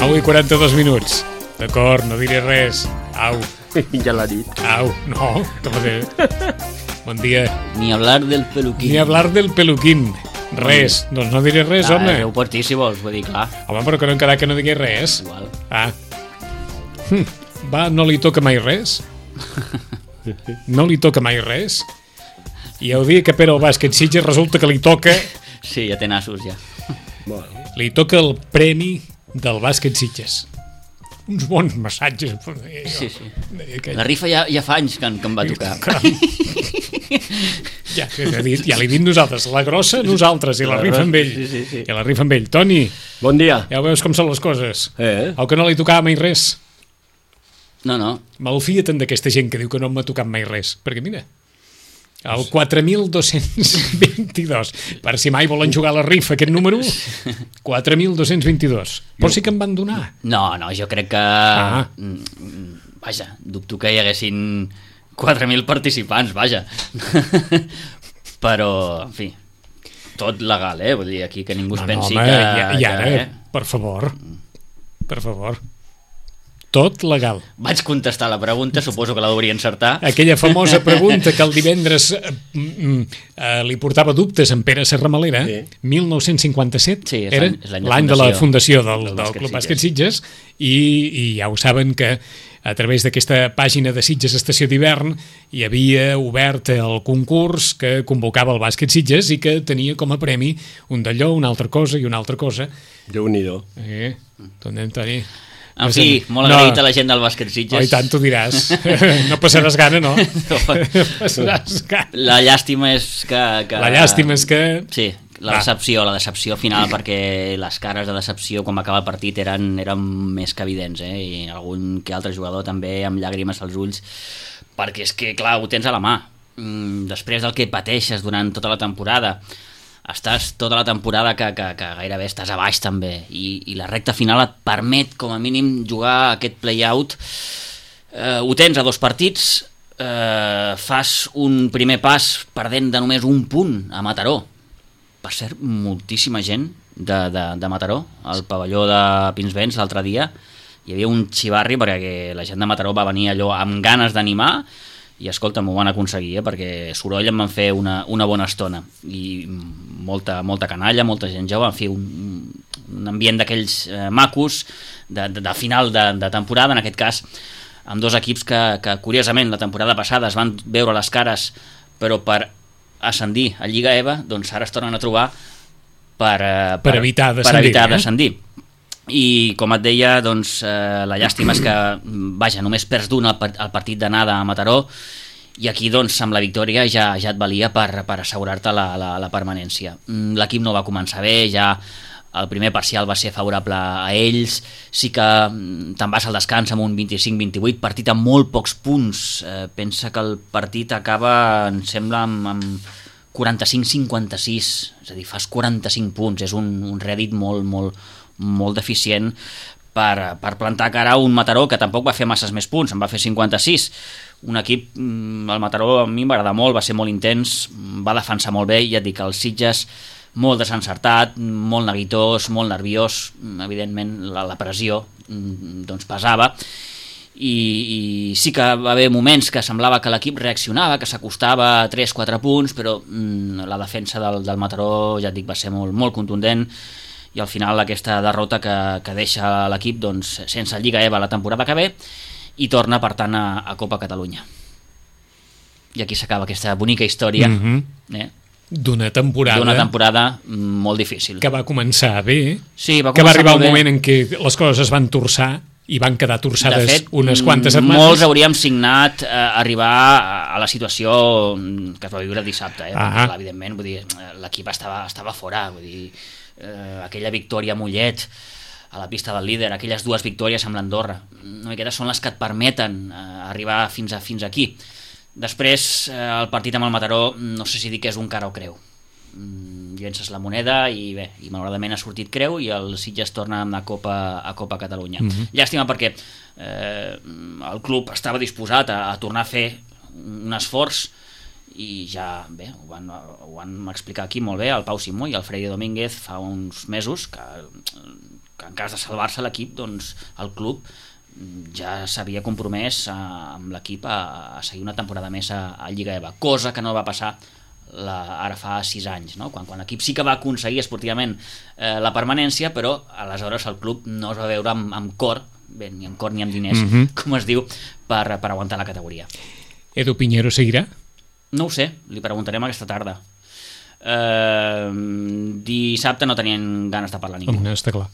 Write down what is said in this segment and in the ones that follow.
9 i 42 minuts. D'acord, no diré res. Au. Ja l'ha dit. Au, no. Bon dia. Ni hablar del peluquín. Ni hablar del peluquín. Res, doncs no diré res, home. Ho pots dir si vols, vull dir, clar. Home, però que no hem quedat que no digui res. Igual. Va, no li toca mai res? No li toca mai res? I el dia que perd el bàsquet Sitges resulta que li toca... Sí, ja té nassos, ja. Li toca el premi del bàsquet Sitges. Uns bons massatges. Sí. La rifa ja fa anys que em va tocar. Ja l'he dit nosaltres. La grossa, nosaltres. I la rifa amb ell. Sí. I la rifa amb ell. Toni, Bon dia. ja veus com són les coses. El que no li tocava mai res. No. Malfia-te'n d'aquesta gent que diu que no m'ha tocat mai res. Perquè mira, el 4.222. Per si mai volen jugar a la rifa, aquest número, 4.222. Però sí que em van donar. No, jo crec que... Vaja, dubto que hi haguessin 4.000 participants, vaja. Però, en fi, tot legal, vull dir, aquí que ningú es pensi home, que... I ara, per favor, tot legal. Vaig contestar la pregunta, suposo que la hauria encertar. Aquella famosa pregunta que el divendres li portava dubtes en Pere Serramalera, 1957, Sí, era l'any de la fundació del Club Bàsquet Sitges, i ja ho saben que a través d'aquesta pàgina de Sitges Estació d'Hivern hi havia obert el concurs que convocava el Bàsquet Sitges i que tenia com a premi un d'allò, una altra cosa i una altra cosa. Déu-n'hi-do. Toni. En fi, molt agraït a la gent del bàsquet Sitges. I tant, t'ho diràs. No passaràs gana, no? Passaràs gana. La llàstima és que... La llàstima és que... Sí, la decepció final, perquè les cares de decepció quan va acabar el partit eren més que evidents, i algun que altre jugador també amb llàgrimes als ulls, perquè és que, clar, ho tens a la mà. Després del que pateixes durant tota la temporada, estàs tota la temporada que gairebé estàs a baix també, i la recta final et permet com a mínim jugar aquest play-out. Ho tens a 2 partits, fas un primer pas perdent de només un punt a Mataró. Per cert, moltíssima gent de Mataró, al pavelló de Pinsbens l'altre dia. Hi havia un xivarri perquè la gent de Mataró va venir allò amb ganes d'animar, i escolta, m'ho van aconseguir, perquè soroll em van fer una bona estona, i molta canalla, molta gent jove, en fi, un ambient d'aquells macos de final de temporada, en aquest cas amb 2 equips que curiosament la temporada passada es van veure les cares, però per ascendir a Lliga EVA, doncs ara es tornen a trobar per evitar descendir. I com et deia, doncs, la llàstima és que, vaja, només perds d'un al partit d'anada a Mataró, i aquí, doncs, amb la victòria ja et valia per assegurar-te la permanència. L'equip no va començar bé, ja el primer parcial va ser favorable a ells, sí que te'n vas al descans amb un 25-28, partit amb molt pocs punts. Pensa que el partit acaba, em sembla, amb 45-56, és a dir, fas 45 punts, és un rèdit molt deficient per plantar cara a un Mataró que tampoc va fer masses més punts, en va fer 56. Un equip, el Mataró a mi m'agrada molt, va ser molt intens, va defensar molt bé, i ja et dic, el Sitges molt desencertat, molt neguitós, molt nerviós, evidentment la pressió doncs pesava, i sí que va haver moments que semblava que l'equip reaccionava, que s'acostava a 3-4 punts, però la defensa del Mataró, ja et dic, va ser molt contundent, i al final aquesta derrota que deixa l'equip doncs, sense Lliga EVA la temporada que ve, i torna per tant a Copa Catalunya. I aquí s'acaba aquesta bonica història d'una temporada molt difícil, que va començar bé, sí, que va arribar un moment en què les coses es van torçar i van quedar torçades, de fet, unes quantes setmanes. Molts hauríem signat arribar a la situació que es va viure dissabte, perquè, evidentment, vull dir, l'equip estava fora, vull dir, aquella victòria a Mollet a la pista del líder, aquelles 2 victòries amb l'Andorra, una miqueta són les que et permeten arribar fins aquí. Després, el partit amb el Mataró, no sé si dir que és un cara o creu. Llences la moneda i malauradament ha sortit creu, i el Sitges torna a Copa Catalunya. Llàstima perquè el club estava disposat a tornar a fer un esforç, i ja, bé, ho van explicar aquí molt bé el Pau Simó i el Freddy Domínguez fa uns mesos, que en cas de salvar-se l'equip, doncs el club ja s'havia compromès amb l'equip a seguir una temporada més a Lliga EVA, cosa que no va passar ara fa 6 anys, no? quan l'equip sí que va aconseguir esportivament la permanència, però aleshores el club no es va veure amb cor, bé, ni amb cor ni amb diners, com es diu, per aguantar la categoria. Edu Piñero seguirà? No ho sé, li preguntarem aquesta tarda. Dissabte no tenien ganes de parlar ningú. Està clar.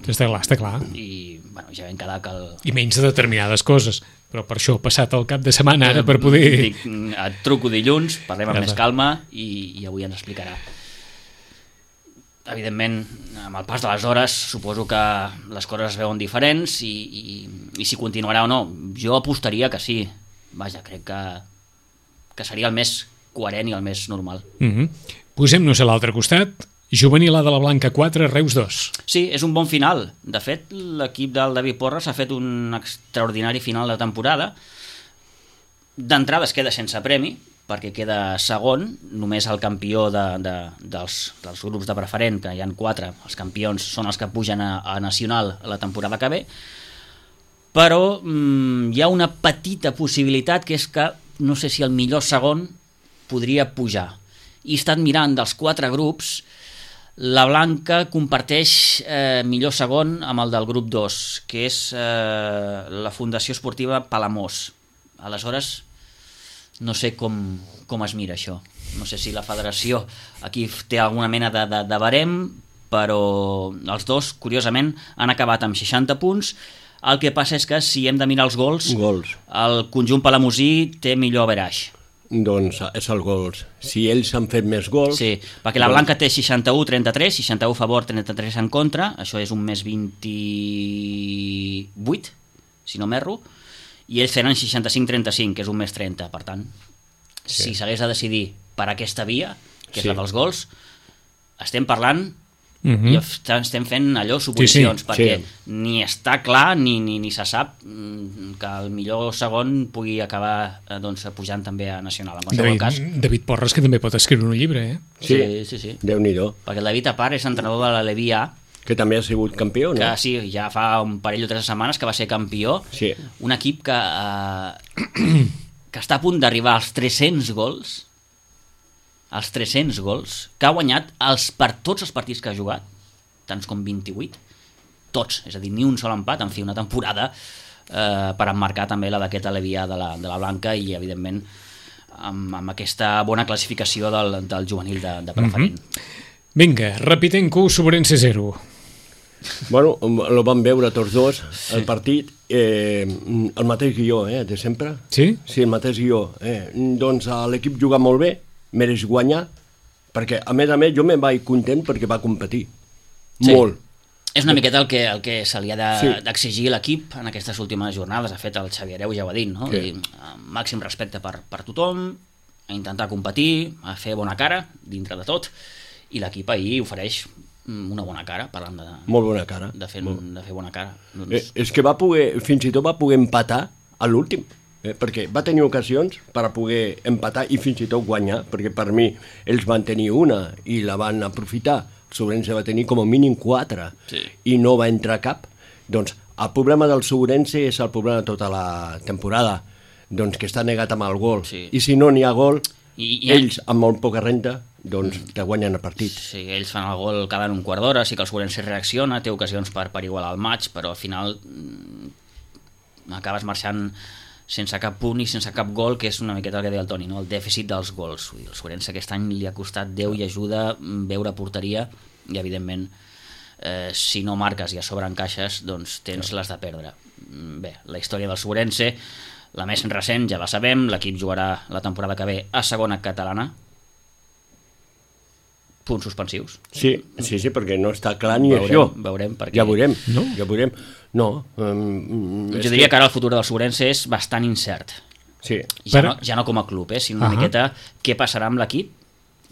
Està clar. I bueno, ja vam quedar que I menys de determinades coses, però per això he passat el cap de setmana ara per poder... Dic, et truco dilluns, parlem amb més calma i avui ens explicarà. Evidentment, amb el pas de les hores suposo que les coses es veuen diferents i si continuarà o no, jo apostaria que sí. Vaja, crec que seria el més coherent i el més normal. Posem-nos a l'altre costat. Juvenil A de la Blanca 4, Reus 2. Sí, és un bon final. De fet, l'equip del David Porras ha fet un extraordinari final de temporada. D'entrada es queda sense premi, perquè queda segon, només el campió dels grups de preferent, que hi ha 4, els campions són els que pugen a Nacional la temporada que ve, però hi ha una petita possibilitat, que és que no sé si el millor segon podria pujar. I he estat mirant dels 4 grups. La Blanca comparteix millor segon amb el del grup 2, que és la Fundació Esportiva Palamós. Aleshores, no sé com es mira això. No sé si la federació aquí té alguna mena de barem, però els dos, curiosament, han acabat amb 60 punts. El que passa és que si hem de mirar els gols, el conjunt palamosí té millor average. Doncs és el gols. Si ells han fet més gols... Sí, perquè la Blanca té 61-33, 61 a favor, 33 en contra, això és un més 28, si no m'erro, i ells tenen 65-35, que és un més 30, per tant, si s'hagués de decidir per aquesta via, que és la dels gols, estem parlant... i estem fent allò suposicions, perquè ni està clar ni se sap que el millor segon pugui acabar pujant també a Nacional. En qualsevol cas, David Porras, que també pot escriure un llibre, Sí. Déu-n'hi-do. Perquè el David, a part, és entrenador de la Levi A, que també ha sigut campió, no? Que sí, ja fa un parell o 3 setmanes que va ser campió. Sí. Un equip que està a punt d'arribar als 300 gols, que ha guanyat per tots els partits que ha jugat, tants com 28, tots, és a dir, ni un sol empat, en fi, una temporada per emmarcar també la d'aquesta Levià de la Blanca i, evidentment, amb aquesta bona classificació del juvenil de preferent. Vinga, Rapitenco, Sobrense 0. Bueno, el vam veure tots dos, el partit, el mateix guió, de sempre. Sí? Sí, el mateix guió. Doncs l'equip juga molt bé, mereix guanyar, perquè a més jo me'n vaig content perquè va competir. Molt. És una miqueta el que se li ha d'exigir a l'equip en aquestes últimes jornades. Ha fet el Xavier Hereu, ja ho ha dit, no? I, màxim respecte per tothom, a intentar competir, a fer bona cara dintre de tot, i l'equip ahir ofereix una bona cara, parlant de... Molt bona cara. De fer bona cara. Doncs... És que fins i tot va poder empatar a l'últim. Perquè va tenir ocasions per a poder empatar i fins i tot guanyar, perquè per mi ells van tenir una i la van aprofitar. El Sobrense va tenir com a mínim 4 i no va entrar cap. Doncs el problema del Sobrense és el problema de tota la temporada, doncs que està negat amb el gol. I si no n'hi ha gol, ells amb molt poca renta doncs te guanyen el partit. Sí, ells fan el gol cada un quart d'hora, sí que el Sobrense reacciona, té ocasions per igualar el maig, però al final acabes marxant sense cap punt i sense cap gol, que és una miqueta el que deia el Toni, no? El dèficit dels gols. El Sobrense aquest any li ha costat Déu i ajuda veure porteria i, evidentment, si no marques i a sobre encaixes, doncs tens les de perdre. Bé, la història del Sobrense, la més recent, ja la sabem, l'equip jugarà la temporada que ve a segona catalana, punts suspensius. Sí, perquè no està clar ni això. Veurem, perquè... Ja veurem. No. Jo diria que ara el futur del Sobrense és bastant incert. Sí. Ja no com a club, sinó una miqueta què passarà amb l'equip,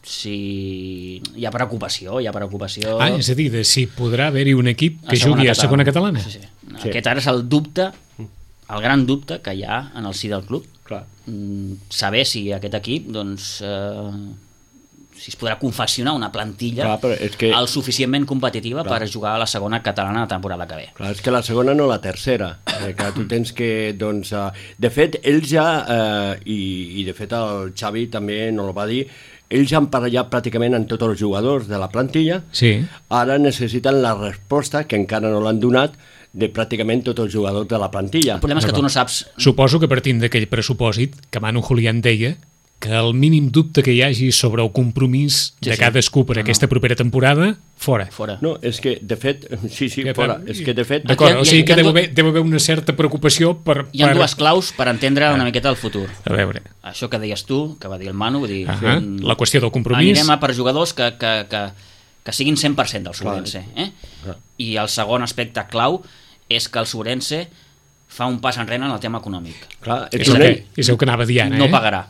si hi ha preocupació. És a dir, de si podrà haver-hi un equip que jugui a segona catalana. Sí. Aquest ara és el dubte, el gran dubte que hi ha en el si del club. Clar. Saber si aquest equip, doncs... si es podrà confeccionar una plantilla el suficientment competitiva per jugar a la segona catalana la temporada que ve. Clar, és que la segona no la tercera. Que tu tens que, doncs... de fet, ells ja, i de fet el Xavi també no ho va dir, ells ja han parlat pràcticament amb tots els jugadors de la plantilla, ara necessiten la resposta, que encara no l'han donat, de pràcticament tots els jugadors de la plantilla. El problema és que tu no saps... Suposo que partint d'aquell pressupòsit que Manu Julián deia que el mínim dubte que hi hagi sobre el compromís de cadascú per aquesta propera temporada, fora. No, és que, de fet, fora. És que, de fet... D'acord, o sigui que deu haver una certa preocupació per... Hi ha dues claus per entendre una miqueta el futur. A veure. Això que deies tu, que va dir el Manu, vull dir... La qüestió del compromís... Anirem a per jugadors que siguin 100% del Sobrense. I el segon aspecte clau és que el Sobrense fa un pas enrere en el tema econòmic. Clar, és el que anava a dir ara. No pagarà.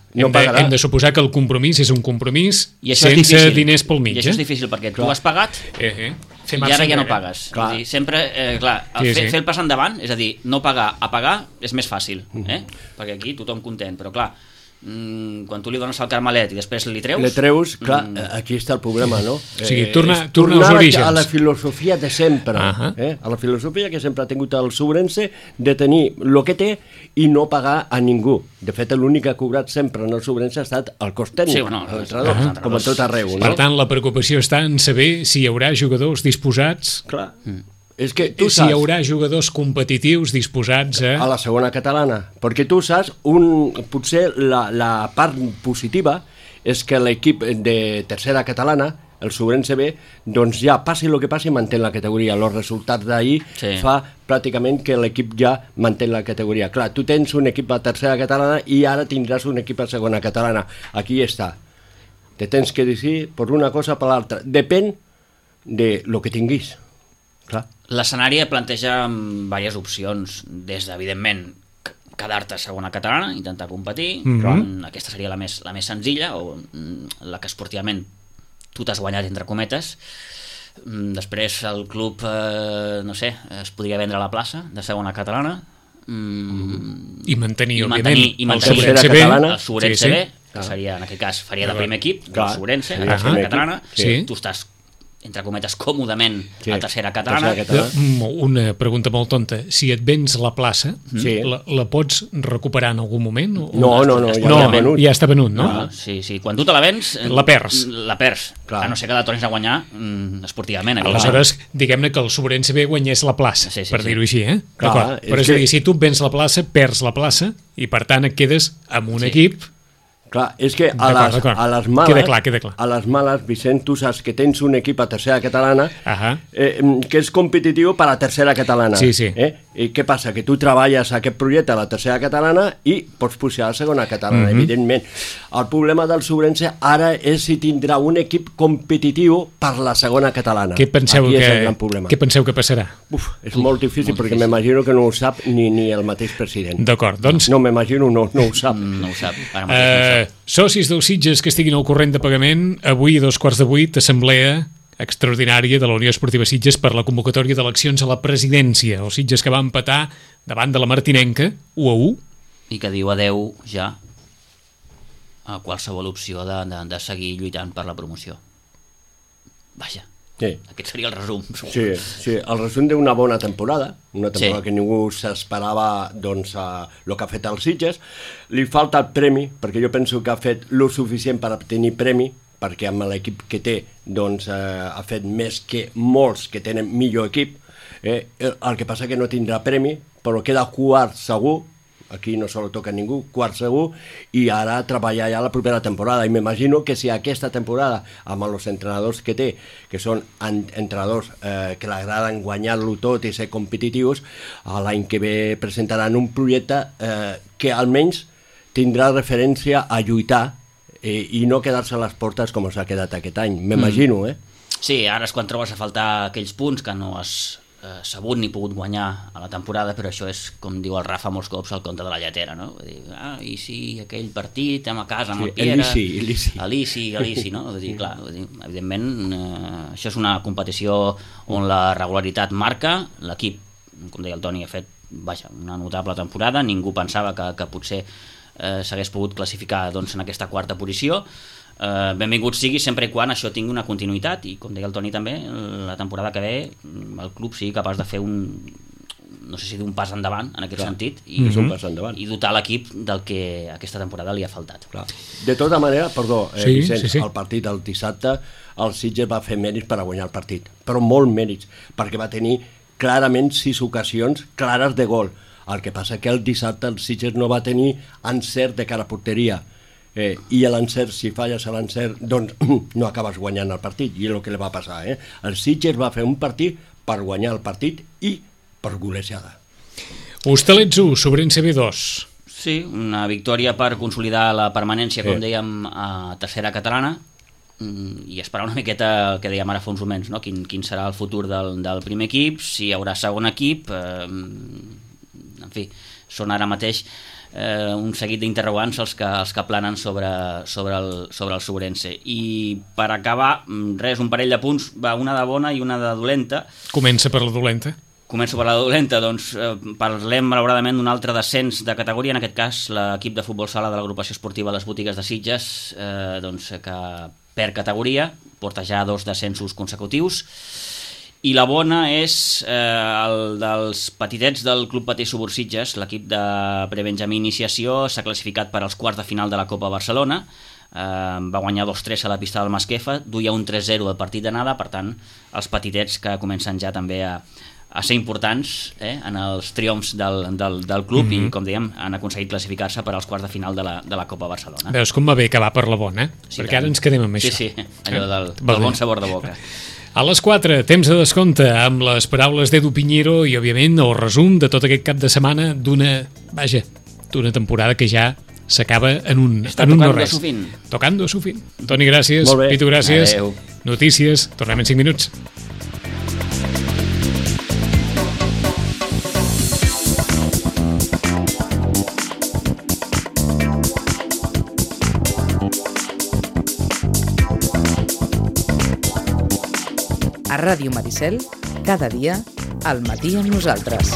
Hem de suposar que el compromís és un compromís sense diners pel mig. I això és difícil perquè tu has pagat i ara ja no pagues. Sempre, fer el pas endavant, és a dir, no pagar a pagar és més fàcil, perquè aquí tothom content, però clar, quan tu li dones el carmelet i després li treus... clar, aquí està el problema, no? O sigui, tornar als orígens. A la filosofia de sempre, a la filosofia que sempre ha tingut el Sobrense de tenir el que té i no pagar a ningú. De fet, l'únic que ha cobrat sempre en el Sobrense ha estat el cost tècnic, l'entrenador, com a tot arreu. Per tant, la preocupació està en saber si hi haurà jugadors disposats... Clar. És que tu saps... Si hi haurà jugadors competitius disposats a... A la segona catalana. Perquè tu saps, potser la part positiva és que l'equip de tercera catalana, el Sobrense B, doncs ja passi el que passi manté la categoria. Els resultats d'ahir fa pràcticament que l'equip ja manté la categoria. Clar, tu tens un equip a tercera catalana i ara tindràs un equip a segona catalana. Aquí està. Te tens que decidir per una cosa o per l'altra. Depèn de lo que tinguis. Clar. L'escenari planteja diverses opcions, des d'evidentment quedar-te a segona catalana, intentar competir, aquesta seria la més senzilla, o la que esportivament tu t'has guanyat entre cometes. Després el club, no sé, es podria vendre a la plaça de segona catalana i mantenir, òbviament, el Sobrense B, que seria, en aquest cas, faria de primer equip, el Sobrense, a la segona catalana, tu estàs entre cometes, còmodament a tercera catalana. Una pregunta molt tonta. Si et vens la plaça, la pots recuperar en algun moment? No, ja està venut, no? Sí, quan tu te la vens... La perds. A no ser que la tornis a guanyar esportivament. Aleshores, diguem-ne que el Sobrense B guanyés la plaça, per dir-ho així, D'acord. Però és a dir, si tu vens la plaça, perds la plaça, i per tant et quedes amb un equip... Clar, és que a les males... Queda clar. A les males, Vicent, tu saps que tens un equip a tercera catalana que és competitiu per a tercera catalana. Sí. I què passa? Que tu treballes aquest projecte a la tercera catalana i pots pujar a la segona catalana, evidentment. El problema del Sobrense ara és si tindrà un equip competitiu per la segona catalana. Què penseu que passarà? És molt difícil perquè m'imagino que no ho sap ni el mateix president. D'acord, doncs... No m'imagino, no ho sap. No ho sap. Socis del Sitges que estiguin al corrent de pagament, avui a 7:15, assemblea extraordinària de la Unió Esportiva Sitges per la convocatòria d'eleccions a la presidència. El Sitges que va empatar davant de la Martinenca 1-1. I que diu adeu ja a qualsevol opció de seguir lluitant per la promoció. Vaja. Aquest seria el resum. Sí, el resum d'una bona temporada, una temporada que ningú s'esperava el que ha fet el Sitges. Li falta el premi, perquè jo penso que ha fet lo suficient per obtenir premi, perquè amb l'equip que té ha fet més que molts que tenen millor equip. El que passa que no tindrà premi, però queda quart segur. Aquí no se lo toca a ningú, quart segur, i ara treballar ja la propera temporada. I m'imagino que si aquesta temporada, amb els entrenadors que té, que són entrenadors que l'agraden guanyar-lo tot i ser competitius, l'any que ve presentaran un projecte que almenys tindrà referència a lluitar i no quedar-se a les portes com s'ha quedat aquest any, m'imagino, Sí, ara és quan trobes a faltar aquells punts que no has sabut ni pogut guanyar a la temporada, però això és, com diu el Rafa molts cops, el conte de la lletera, no? Vull dir, i sí, aquell partit, a casa, amb el Piera... L'Isi, no? Vull dir, clar, evidentment, això és una competició on la regularitat marca, l'equip, com deia el Toni, ha fet una notable temporada, ningú pensava que potser s'hagués pogut classificar en aquesta quarta posició, benvingut sigui sempre i quan això tingui una continuïtat, i com deia el Toni també, la temporada que ve el club sigui capaç de fer no sé si d'un pas endavant en aquest sentit, i dotar l'equip del que aquesta temporada li ha faltat. Clar. De tota manera, perdó, Vicenç, el partit del dissabte el Sitges va fer mèrits per a guanyar el partit, però molt mèrits, perquè va tenir clarament 6 ocasions clares de gol. El que passa que el dissabte el Sitges no va tenir encert de cara a porteria, i l'encert, si falles a l'encert, doncs no acabes guanyant el partit, i és el que li va passar. El Sitges va fer un partit per guanyar el partit i per golejada. Hostalets 1, Sobrense B 2. Sí, una victòria per consolidar la permanència, com dèiem, a tercera catalana, i esperar una miqueta el que dèiem ara fa uns moments, no? Quin serà el futur del primer equip, si hi haurà segon equip, en fi, són ara mateix un seguit d'interrogants els que planen sobre el Sobrense. I per acabar, res, un parell de punts, una de bona i una de dolenta. Comença per la dolenta. Començo per la dolenta, doncs parlem malauradament d'un altre descens de categoria, en aquest cas l'equip de futbol sala de l'agrupació esportiva Les Botigues de Sitges, doncs, que perd categoria, porta ja 2 descensos consecutius, i la bona és el dels petitets del Club Patí Subur Sitges, l'equip de prebenjamí iniciació s'ha classificat per als quarts de final de la Copa Barcelona, va guanyar 2-3 a la pista del Masquefa, duia un 3-0 al partit d'anada, per tant els petitets que comencen ja també a ser importants en els triomfs del club, i com dèiem han aconseguit classificar-se per als quarts de final de la Copa Barcelona. Veus com va bé acabar per la bona, sí, perquè ara ens quedem amb això. Sí, allò del bon sabor de boca. A les 4, temps de descompte, amb les paraules d'Edu Piñero i, òbviament, el resum de tot aquest cap de setmana d'una temporada que ja s'acaba en un no res. Tocando su fin. Toni, gràcies. Pitu, gràcies. Adeu. Notícies. Tornem en 5 minuts. A Ràdio Maricel, cada dia, al matí amb nosaltres.